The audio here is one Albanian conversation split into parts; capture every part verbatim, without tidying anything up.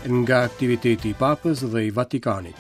Nga aktiviteti i Papës dhe i Vatikanit.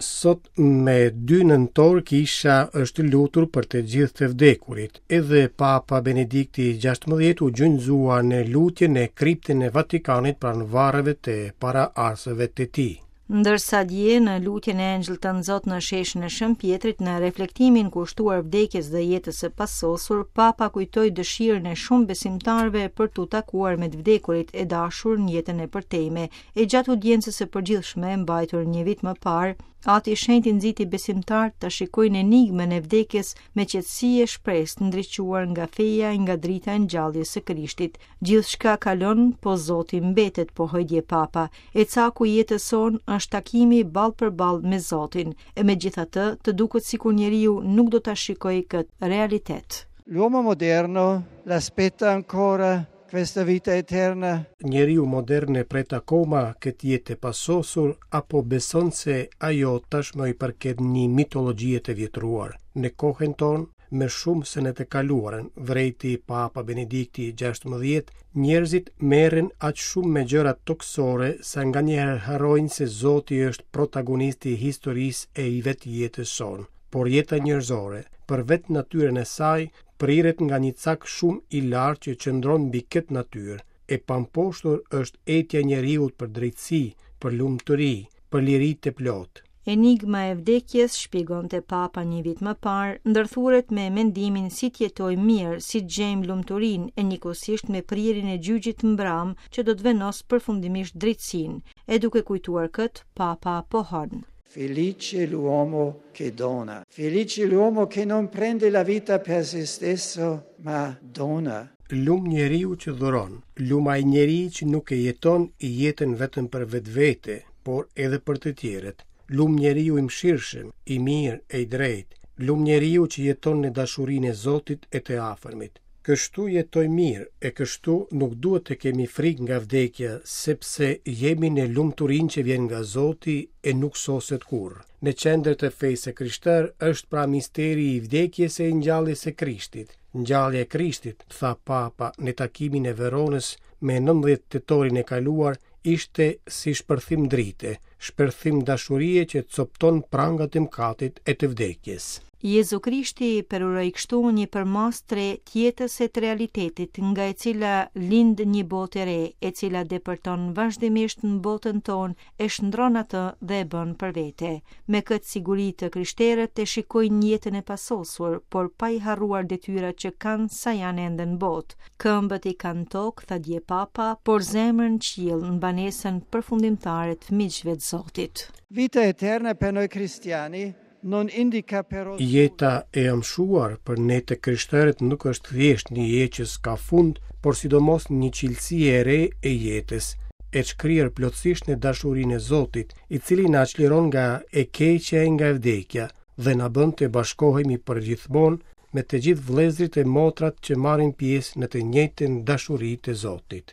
Sot me dy nëntor kisha është lutur për të gjithë të vdekurit. Edhe Papa Benedikti gjashtëmbëdhjetë u gjunjëzua në lutje në kriptën e Vatikanit pranë varreve të paraardhësve të tij. Ndërsa dje në lutjen e Engjëllit të Nxot në sheshin e Shën Pjetrit, në reflektimin kushtuar vdekjes dhe jetës së pasosur, Papa kujtoi dëshirën e shumë besimtarëve për t'u takuar me të vdekurit e dashur në jetën e përtejme. E gjatë audiencës së përgjithshme mbajtur një vit më parë, Ati i Shenjtë nxiti besimtarët ta shikojnë enigmën e vdekjes me qetësi e shpresë ndriçuar nga feja e nga drita e ngjalljes së Krishtit. Gjithçka kalon, po Zoti mbetet, pohoi dje Papa. E caku i jetës sonë është takimi ball për ball me Zotin, e megjithatë të duket sikur njeriu nuk do ta shikojë këtë realitet. L'uomo moderno l'aspetta ancora questa vita eterna. Njeriu modern e pret akoma këtë jetë të pasosur apo beson se ajo tashmë i përket një mitologjie të vjetruar. Në kohën tonë, më shumë se në të kaluarën, vrejti Papa Benedikti gjashtëmbëdhjetë, njerëzit merren aq shumë me gjërat tokësore sa nganjëherë harrojnë se Zoti është protagonisti i historisë e i vetë jetës sonë. Por jeta njerëzore, për vetë natyrën e saj, priret nga një cak shumë i lartë që qëndron mbi këtë natyrë. E pamposhtur është etja e njeriut për drejtësi, për lumturi, për liri të plotë. Enigma e vdekjes, shpjegonte Papa një vit më parë, ndërthuret me mendimin si të jetojmë mirë, si të gjejmë lumturinë e njëkohësisht me prirjen e gjyqit mbram që do të vendos përfundimisht drejtësinë. E duke kujtuar këtë, Papa pohon: Felice l'uomo che dona, felice l'uomo che non prende la vita per se stesso, ma dona. Lum njeriu që dhuron, lum ai njeri që nuk e jeton i jetën vetëm për vetvete, por edhe për të tjerët. Lum njeriu i mëshirshëm, i mirë e i drejtë, lum njeriu që jeton në dashurinë e Zotit e të afërmit. Kështu jetoj mirë e kështu nuk duhet të kemi frikë nga vdekja, sepse jemi në lumturinë që vjen nga Zoti e nuk soset kurrë. Në qendër të fesë së krishterë është pra misteri i vdekjes e i ngjalljes së Krishtit. Ngjallja e Krishtit, tha Papa në takimin e Veronës me nëntëmbëdhjetë tetorin e kaluar, ishte si shpërthim drite, shpërthim dashurie që copton prangat e mëkatit e të vdekjes. Jezu Krishti përuroi kështu një përmasë të re të jetës e të realitetit, nga e cila lind një botë e re, e cila depërton vazhdimisht në botën tonë, e shndron atë dhe e bën për vete. Me këtë siguri të krishterët e shikojnë jetën e pasosur, por pa i harruar detyrat që kanë sa janë ende në botë. Këmbët i kanë tokë, tha dje Papa, por zemrën qiell në banesën përfundimtare të miqve të Zotit. Vita eterna per noi cristiani non indica però Jeta e amshuar për ne të krishterët nuk është thjesht një jetë që s'ka fund, por sidomos një cilësi e re e jetës, e shkrirë plotësisht në dashurinë e Zotit, i cili na çliron nga e keqja e nga vdekja dhe na bën të bashkohemi përgjithmonë me të gjithë vëllezërit e motrat që marrin pjesë në të njëjtën dashuri të Zotit.